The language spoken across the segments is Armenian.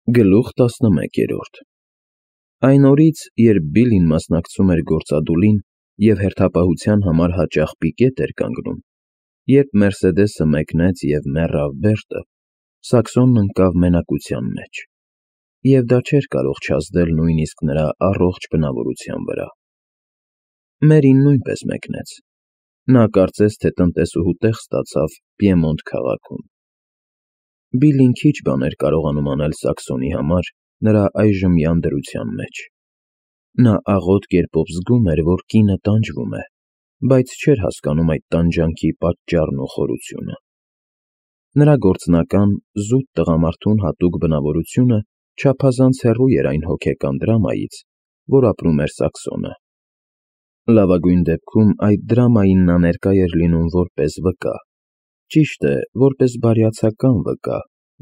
Գլուխ 11 Այն օրից, երբ Բիլլին մասնակցում էր գործադուլին և հերթապահության համար հաճախ պիկետ էր կանգնում, երբ Մերսեդեսը մեկնեց և մեռավ Բերտը, Սաքսոնն ընկավ մենակության մեջ, և դա չէր կարող չազդել նույնիսկ նրա առողջ բնավորության վրա։ Մերին նույնպես մեկնեց. նա կարծես թե տնտեսուհու տեղ ստացավ Պիեմոնտ քաղաքում։ Բիլլին քիչ բան էր կարողանում անել Սաքսոնի համար նրա այժմյան դրության մեջ։ Նա աղոտ կերպով զգում էր, որ կինը տանջվում է, բայց չէր հասկանում այդ տանջանքի պատճառն ու խորությունը։ Նրա գործնական, զուտ տղամարդուն հատուկ բնավորությունը չափազանց հեռու էր այն հոգեկան դրամայից, որ ապրում էր Սաքսոնը։ Լավագույն դեպքում այդ դրամային նա ներկա էր լինում որպես վկա, ճիշտ է, որպես բարյացակամ վկա,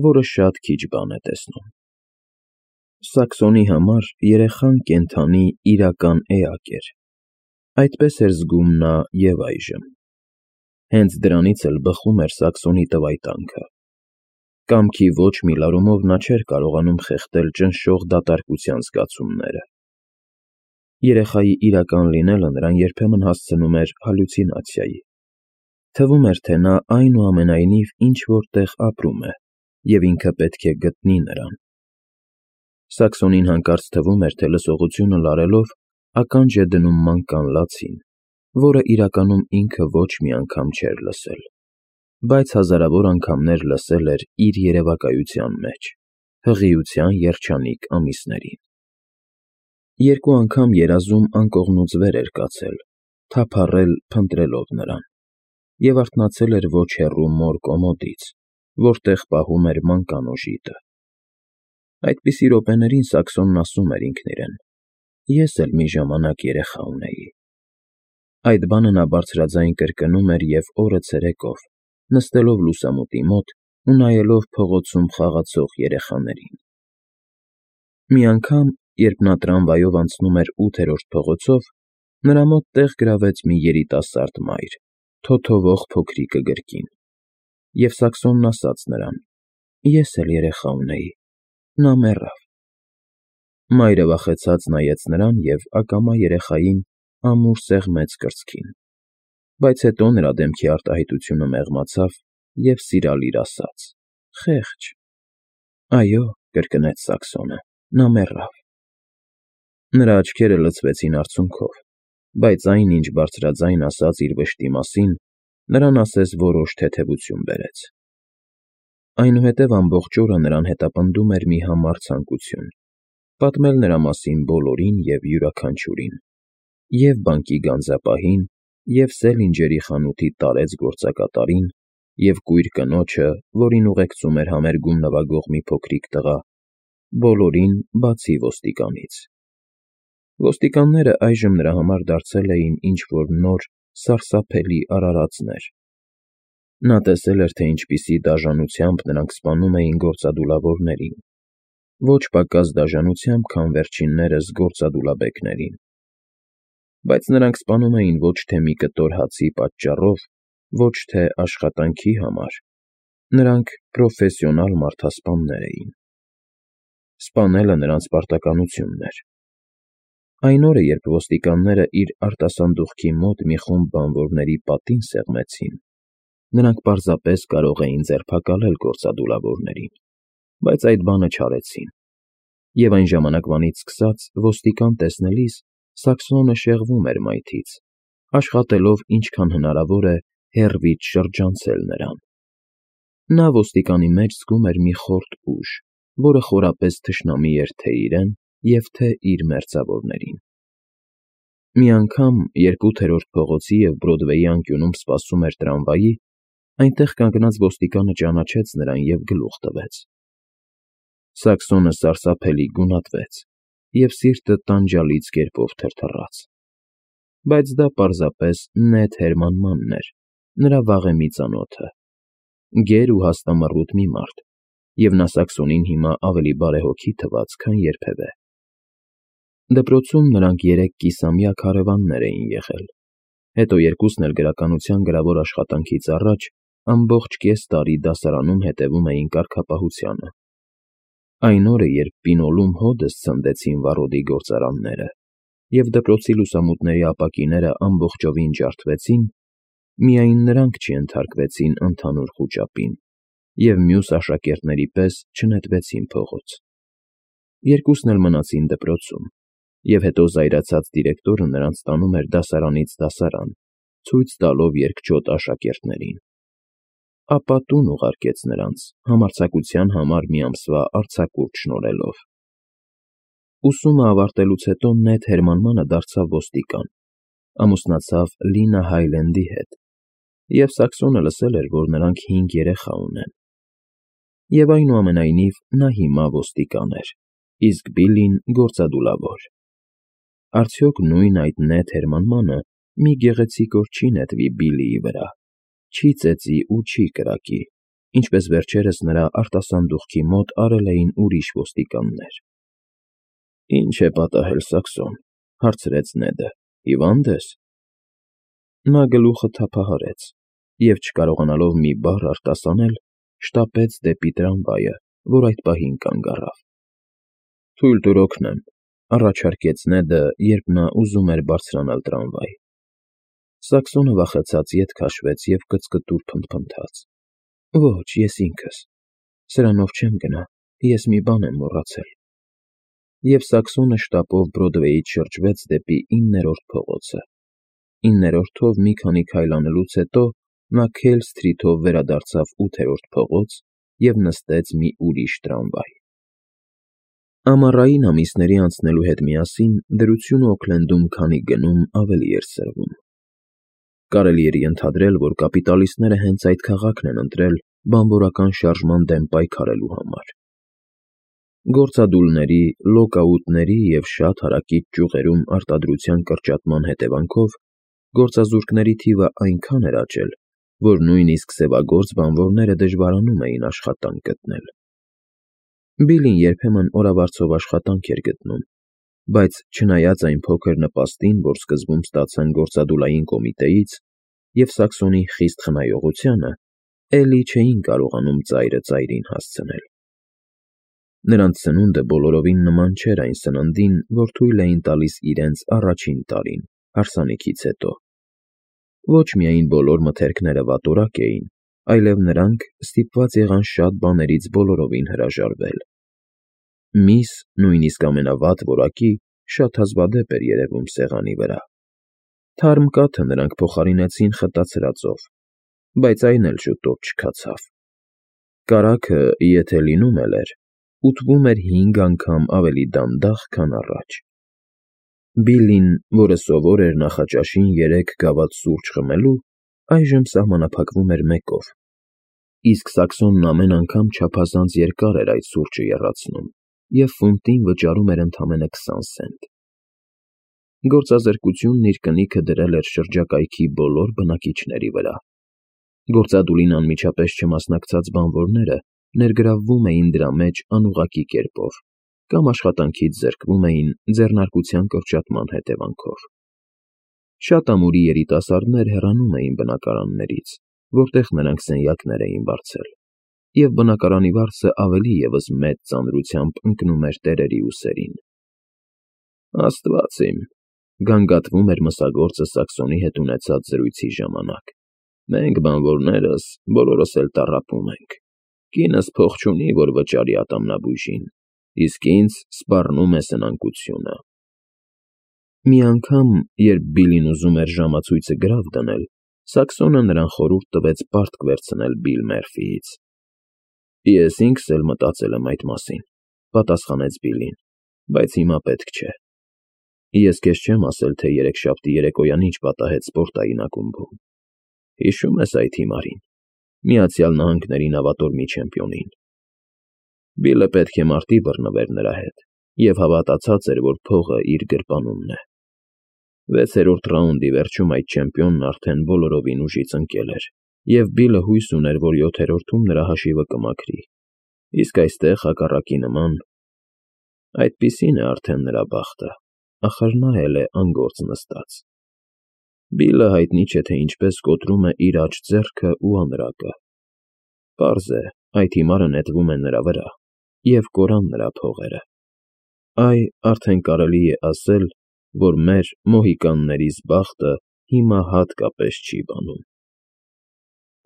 որը շատ քիչ բան է տեսնում։ Սաքսոնի համար երեխան կենդանի իրական էակ էր։ Այդպես էր զգում նա և այժմ։ Հենց դրանից էլ բխում էր Սաքսոնի տվայտանքը։ Կամքի ոչ մի լարումով նա չէր կարողանում խեղդել ճնշող դատարկության զգացումները։ Երեխայի իրական լինելը նրան երբեմն հասցնում էր հալյուցինացիայի։ Թվում էր, թե նա այնուամենայնիվ ինչ-որ տեղ ապրում է, և ինքը պետք է գտնի նրան։ Սաքսոնին հանկարծ թվում էր, թե լսողությունը լարելով ականջ է դնում մանկան լացին, որը իրականում ինքը ոչ մի անգամ չէր լսել, բայց հազարավոր անգամներ լսել էր իր երևակայության մեջ, հղիության երջանիկ ամիսներին։ Երկու անգամ երազում անկողնուց վեր էր կացել, թափառել փնտրելով նրան, և արթնացել էր ոչ հեռու մոր կոմոդից, որտեղ պահում էր մանկան օժիտը։ Այդպիսի րոպեներին Սաքսոնն ասում էր ինքն իրեն. «Ես էլ մի ժամանակ երեխա ունեի»։ Այդ բանը նա բարձրաձայն կրկնում էր և օրը ցերեկով, նստելով լուսամուտի մոտ ու նայելով փողոցում խաղացող երեխաներին։ Մի անգամ, երբ նա տրամվայով անցնում էր 8-րդ փողոցով, նրա մոտ տեղ գրավեց մի երիտասարդ մայր, թոթովող փոքրիկը գրկին, և Սաքսոնն ասաց նրան. «Ես էլ երեխա ունեի, նա մեռավ»։ Մայրը վախեցած նայեց նրան և ակամա երեխային ամուր սեղմեց կրծքին, բայց հետո նրա դեմքի արտահայտությունը մեղմացավ և սիրալիր ասաց. «Խեղճ»։ «Այո», կրկնեց Սաքսոնը, «նա մեռավ»։ Նրա աչքերը լցվեցին արցունքով, բայց այն, ինչ բարձրաձայն ասաց իր վշտի մասին, նրան ասես որոշ թեթևություն բերեց։ Այնուհետև ամբողջ օրը նրան հետապնդում էր մի համառ ցանկություն՝ պատմել նրա մասին բոլորին և յուրաքանչյուրին, և՛ բանկի գանձապահին, և՛ Սելինջերի խանութի տարեց գործակատարին, և կույր կնոջը, որին ուղեկցում էր համերգում նվագող մի փոքրիկ տղա, բոլորին, բացի ոստիկանից։ Ոստիկանները այժմ նրա համար դարձել էին ինչ֊որ նոր, սարսափելի արարածներ։ Նա տեսել էր, թե ինչպիսի դաժանությամբ նրանք սպանում էին գործադուլավորներին, ոչ պակաս դաժանությամբ, քան վերջիններս գործադուլաբեկներին։ Բայց նրանք սպանում էին ոչ թե մի կտոր հացի պատճառով, ոչ թե աշխատանքի համար, նրանք պրոֆեսիոնալ մարդասպաններ էին։ Սպանելը նրանց պարտականությունն էր։ Այն օրը, երբ ոստիկանները իր արտասանդուղքի մոտ մի խումբ բանվորների պատին սեղմեցին, նրանք պարզապես կարող էին ձերբակալել գործադուլավորներին, բայց այդ բանը չարեցին, և այն ժամանակվանից սկսած ոստիկան տեսնելիս Սաքսոնը շեղվում էր մայթից, աշխատելով ինչքան հնարավոր է հեռվից շրջանցել նրան։ Նա ոստիկանի մեջ զգում էր մի խորտ ուժ, որը խորապես թշնամի էր թե՛ իրեն և թե՛ իր մերձավորներին։ Մի անգամ, երբ 8-րդ փողոցի և Բրոդվեյի անկյունում սպասում էր տրամվայի, այնտեղ կանգնած ոստիկանը ճանաչեց նրան և գլուխ տվեց։ Սաքսոնը սարսափելի գունատվեց, և սիրտը տանջալից կերպով թրթռաց։ Բայց դա պարզապես նեթ հերմանմանն էր, նրա վաղեմի ծանոթը, գեր ու հաստամռութ մի մարդ, և նա Սաքսոնին հիմա ավելի բարեհոգի թվաց, քան երբևէ։ Դպրոցում նրանք 3 կիսամյա քարևաններ էին եղել, հետո երկուսն էլ գրականության գրավոր աշխատանքից առաջ ամբողջ կես տարի դասարանում հետևում էին կարգապահությանը։ Այն օրը, երբ պինոլում հոդս ցնդեցին վառոդի գործարանները, և դպրոցի լուսամուտների ապակիները ամբողջովին ջարդվեցին, միայն նրանք չենթարկվեցին ընդհանուր խուճապին և մյուս աշակերտների պես չնետվեցին փողոց։ Երկուսն էլ մնացին դպրոցում, և հետո զայրացած դիրեկտորը նրանց տանում էր դասարանից դասարան, ցույց տալով երկչոտ աշակերտներին։ Ապա տուն ուղարկեց նրանց, համարձակության համար մի ամսվա արձակուրդ շնորհելով։ Ուսումը ավարտելուց հետո Նեթ Հերմանմանը դարձավ ոստիկան, ամուսնացավ Լինա Հայլենդի հետ, և Սաքսոնը լսել էր, որ նրանք 5 երեխա ունեն։ Եվ այնուամենայնիվ նա հիմա ոստիկան էր, իսկ Բիլլին գործադուլավոր։ Արդյոք նույն այդ Նեթ Հերմանմանը մի գեղեցիկ օր չի նետվի Բիլլիի վրա, չի ծեծի ու չի կրակի, ինչպես վերջերս նրա արտասանդուղքի մոտ արել էին ուրիշ ոստիկաններ։ «Ի՞նչ է պատահել, Սաքսոն,֊ հարցրեց Նեդը,֊ հիվա՞նդ ես»։ Նա գլուխը թափահարեց և, չկարողանալով մի բառ արտասանել, շտապեց դեպի տրամվայը, որ այդ պահին կանգ առավ։ «Թույլ տուր օգնեմ,֊ առաջարկեց Նեդը, երբ նա ուզում էր բարձրանալ տրամվայ։ Սաքսոնը վախեցած ետ քաշվեց և կծկտուր փնթփնթաց. «Ոչ, ես ինքս… Սրանով չեմ գնա, ես մի բան եմ մոռացել»։ Եվ Սաքսոնը շտապով Բրոդվեյից շրջվեց դեպի 9-րդ փողոցը։ 9-րդով մի քանի քայլ անելուց հետո նա Քեյլ Սթրիթով վերադարձավ 8-րդ փողոց և նստեց մի ուրիշ տրամվայ։ Ամառային ամիսների անցնելու հետ միասին դրությունը Օքլենդում քանի գնում ավելի էր սրվում։ Կարելի էր ենթադրել, որ կապիտալիստները հենց այդ քաղաքն են ընտրել բանվորական շարժման դեմ պայքարելու համար։ Գործադուլների, լոկաուտների և շատ հարակից ճյուղերում արտադրության կրճատման հետևանքով գործազուրկների թիվը այնքան էր աճել, որ նույնիսկ սևագործ բանվորները դժվարանում էին աշխատանք գտնել։ Բիլլին երբեմն օրավարձով աշխատանք էր գտնում, բայց չնայած այն փոքր նպաստին, որ սկզբում ստացան գործադուլային կոմիտեից, և Սաքսոնի խիստ խնայողությանը, էլի չէին կարողանում ծայրը ծայրին հասցնել։ Նրանց սնունդը բոլորովին նման չէր այն սննդին, որ թույլ էին տալիս իրենց առաջին տարին, հարսանիքից հետո։ Ոչ միայն բոլոր մթերքները վատորակ էին, այլև նրանք ստիպված եղան շատ բաներից բոլորովին հրաժարվել։ Միս, նույնիսկ ամենավատ որակի, շատ հազվադեպ էր երևում սեղանի վրա։ Թարմ կաթը նրանք փոխարինեցին խտացրածով, բայց այն էլ շուտով չքացավ։ Կարագը, եթե լինում էլ էր, ուտվում էր 5 անգամ ավելի դանդաղ, քան առաջ։ Բիլլին, որը սովոր էր նախաճաշին 3 գավաթ սուրճ խմելու, այժմ սահմանափակվում էր 1-ով, իսկ Սաքսոնն ամեն անգամ չափազանց երկար էր այդ սուրճը եռացնում և ֆունտին վճարում էր ընդամենը 20 սենտ։ Գործազրկությունն իր կնիքը դրել էր շրջակայքի բոլոր բնակիչների վրա։ Գործադուլին անմիջապես չմասնակցած բանվորները ներգրավվում էին դրա մեջ անուղղակի կերպով կամ աշխատանքից զրկվում էին ձեռնարկության կրճատման հետևանքով։ Շատ ամուրի երիտասարդներ հեռանում էին բնակարաններից, որտեղ նրանք սենյակներ էին վարձել, և բնակարանի վարձը ավելի ևս մեծ ծանրությամբ ընկնում էր տերերի ուսերին։ «Աստված իմ,֊ գանգատվում էր մսագործը Սաքսոնի հետ ունեցած զրույցի ժամանակ,֊ մենք բանվորներս բոլորս էլ տառապում ենք։ Կինս փող չունի, որ վճարի ատամնաբույժին, իսկ ինձ սպառնում է սնանկությունը»։ Մի անգամ, երբ Բիլլին ուզում էր ժամացույցը գրավ դնել, Սաքսոնը նրան խորհուրդ տվեց պարտք վերցնել Բիլ Մերֆիից։ «Ես ինքս էլ մտածել եմ այդ մասին,֊ պատասխանեց Բիլլին,֊ բայց հիմա պետք չէ։ Ես քեզ չեմ ասել, թե երեքշաբթի երեկոյան ինչ պատահեց սպորտային ակումբում։ Հիշո՞ւմ ես այդ հիմարին, Միացյալ Նահանգների նավատորմի չեմպիոնին։ Բիլլը պետք է մարտի բռնվեր նրա հետ և հավատացած էր, որ փողը իր գրպանումն է։ 6-րդ ռաունդի վերջում այդ չեմպիոնն արդեն բոլորովին ուժից ընկել էր, և Բիլլը հույս ուներ, որ 7-րդում նրա հաշիվը կմաքրի, իսկ այստեղ հակառակի նման… Այդպիսին է արդեն նրա բախտը, ախր նա էլ է անգործ նստած։ Բիլլը հայտնի չէ, թե ինչպես կոտրում է իր աջ ձեռքը ու անրակը։ Պարզ է, այդ հիմարը նետվում է նրա վրա, և կորան նրա փողերը։ Այ արդեն կարելի է ասել, որ մեր մոհիկաններից բախտը հիմա հատկապես չի բանում։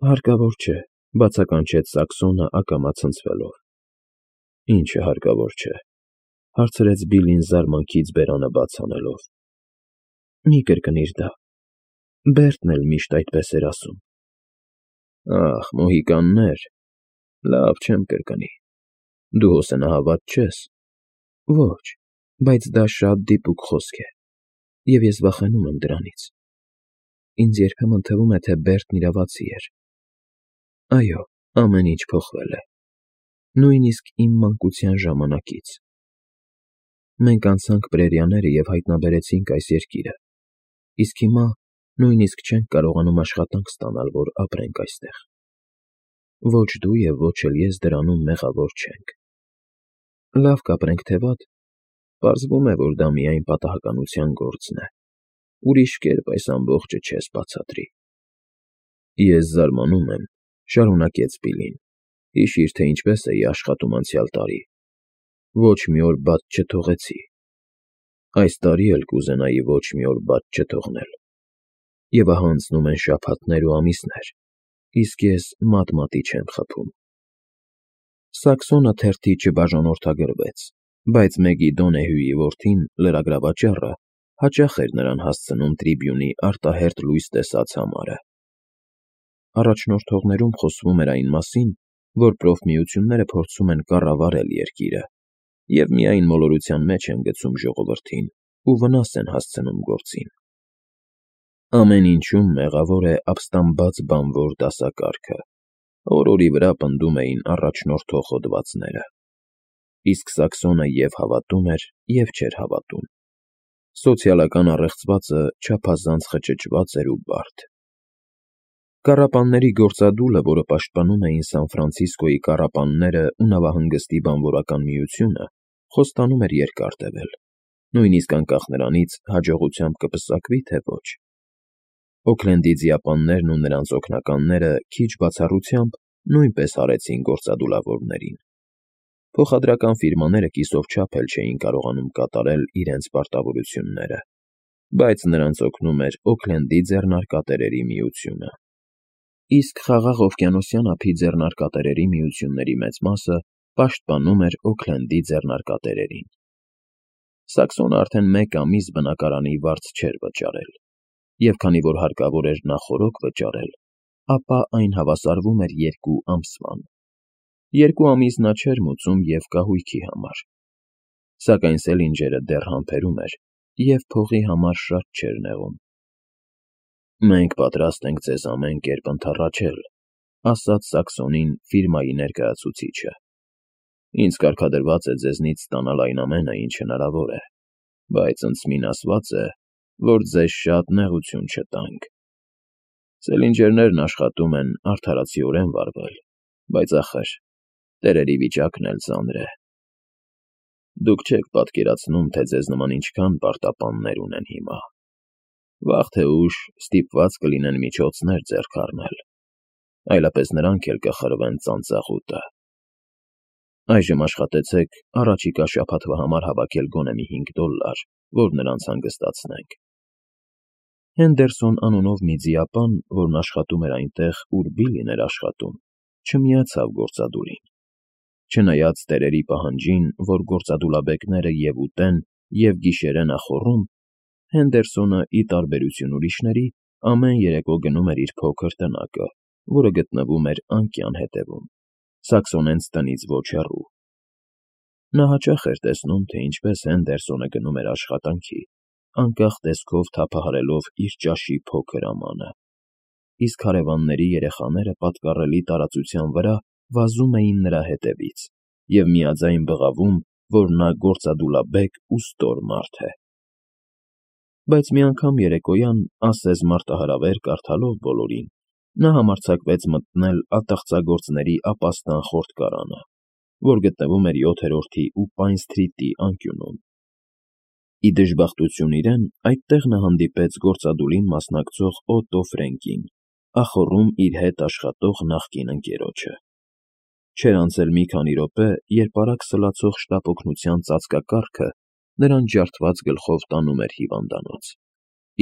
Հարկավոր չէ, բացականչեց Սաքսոնը ակամա ցնցվելով։ Ինչը հարկավոր չէ, հարցրեց Բիլին զարմանքից բերանը բաց անելով։ Մի կրկնիր դա։ Բերտն էլ միշտ այդպես էր ասում։ Ախ, մոհիկաններ, լավ չեմ կրկնի։ Դու հոսանահավատ չես։ Ոչ, բայց դա շատ դիպուկ խոսք է, և ես վախենում եմ դրանից։ Ինձ երբեմն թվում է, թե Բերտն իրավացի էր։ Այո, ամեն ինչ փոխվել է, նույնիսկ իմ մանկության ժամանակից։ Մենք անցանք պրերիաները և հայտնաբերեցինք այս երկիրը, իսկ հիմա նույնիսկ չենք կարողանում աշխատանք ստանալ, որ ապրենք այստեղ։ Ոչ դու և ոչ էլ ես դրանում մեղավոր չենք։ Լավ կապրենք, թե վատ, պարզվում է, որ դա միայն պատահականության գործն է։ Ուրիշ կերպ այս ամբողջը չես բացատրի։ Ես զարմանում եմ, շարունակեց Բիլին, հիշիր, թե ինչպես էի աշխատում անցյալ տարի։ Ոչ մի օր բաց չթողեցի։ Այս տարի էլ կուզենայի ոչ մի օր բաց չթողնել։ Եվ ահա անցնում են շաբաթներ ու ամիսներ, իսկ ես մատ-մատի չեմ խփում։ Սաքսոնը թերթի չբաժանորդագրվեց, բայց Մեգիդոնեհյուի որդին, լրագրավաճառը, հաճախ էր նրան հասցնում Տրիբյունի արտահերթ լույս տեսած համարը։ Առաջնորդողներում խոսվում էր այն մասին, որ պրոֆմիությունները փորձում են կառավարել երկիրը և միայն մոլորության մեջ են գցում ժողովրդին ու վնաս են հասցնում գործին։ Ամեն ինչում մեղավոր է ապստամբած բանվոր դասակարգը, օրորի վրա պնդում էին առաջնորդող հոդվածները։ Իսկ Սաքսոնը և հավատում էր, և չէր հավատում։ Սոցիալական առեղծվածը չափազանց խճճված էր ու բարդ։ Կառապանների գործադուլը, որը պաշտպանում էին Սան Ֆրանցիսկոյի կառապանները ու նավահանգստի բանվորական միությունը, խոստանում էր երկար տևել, նույնիսկ անկախ նրանից հաջողությամբ կպսակվի, թե ոչ։ Օքլենդի ձիապաններն ու նրանց օգնականները քիչ բացառությամբ նույնպես հարեցին գործադուլավորներին։ Փոխադրական ֆիրմաները կիսով չափ էլ չէին կարողանում կատարել իրենց պարտավորությունները, բայց նրանց օգնում էր Օքլենդի ձեռնարկատերերի միությունը։ Իսկ Խաղաղ օվկիանոսյան ափի ձեռնարկատերերի միությունների մեծ մասը պաշտպանում էր Օքլենդի ձեռնարկատերերին։ Սաքսոնը արդեն 1 ամիս բնակարանի վարձ չէր վճարել, և քանի որ հարկավոր էր նախօրոք վճարել, ապա այն հավասարվում էր 2 ամսվան։ 2 ամիս նա չէր մուծում և կահույքի համար։ Սակայն Սելինջերը դեռ համբերում էր և փողի համար շատ չէր նեղում։ Մենք պատրաստ ենք ձեզ ամեն կերպ ընդառաջել, ասաց Սաքսոնին ֆիրմայի ներկայացուցիչը։ Ինձ կարգադրված է ձեզնից ստանալ այն ամենը, ինչ հնարավոր է, բայց ընդսմին ասված է, որ ձեզ շատ նեղություն չտանք։ Սելինջերներն աշխատում են արդարացիորեն վարվել, բայց ախր, տերերի վիճակն էլ ծանր է։ Դուք չեք պատկերացնում, թե ձեզ նման ինչքան պարտապաններ ունեն հիմա։ Վաղ թե ուշ ստիպված կլինեն միջոցներ ձեռք առնել, այլապես նրանք էլ կխրվեն ծանծաղուտը։ Այժմ աշխատեցեք առաջիկա շաբաթվա համար հավաքել գոնե մի $5, որ նրանց հանգստացնենք։ Հենդերսոն անունով մի ձիապան, որն աշխատում էր այնտեղ, ուր Բիլին էր աշխատում, չմիացավ գործադուլին։ Չնայած տերերի պահանջին, որ գործադուլաբեկները և ուտեն, և գիշերեն ախոռում, Հենդերսոնը, ի տարբերություն ուրիշների, ամեն երեկո գնում էր իր փոքր տնակը, որը գտնվում էր անկյան հետևում, Սաքսոնենց տնից ոչ հեռու։ Նա հաճախ էր տեսնում, թե ինչպես Հենդերսոնը գնում էր աշխատանքի, անկախ տեսքով թափահարելով իր ճաշի փոքր ամանը, իսկ հարևանների երեխաները պատկառելի տարածության վրա վազում էին նրա հետևից և միաձայն բղավում, որ նա գործադուլաբեկ ու ստոր մարդ է։ Բայց մի անգամ երեկոյան, ասես մարտահրավեր կարդալով բոլորին, նա համարձակվեց մտնել ատաղծագործների ապաստան խորտկարանը, որ գտնվում էր 7-րդի ու Պայն Սթրիթի անկյունում։ Ի դժբախտություն իրեն, այդտեղ նա հանդիպեց գործադուլին մասնակցող Օտո Ֆրենկին, ախոռում իր հետ աշխատող նախկին ընկերոջը։ Չէր անցել մի քանի րոպե, երբ արագ սլացող շտապ օգնության ծածկակառքը նրան ջարդված գլխով տանում էր հիվանդանոց,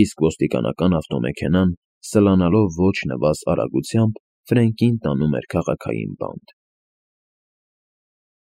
իսկ ոստիկանական ավտոմեքենան, սլանալով ոչ նվազ արագությամբ, Ֆրենկին տանում էր քաղաքային բանտ։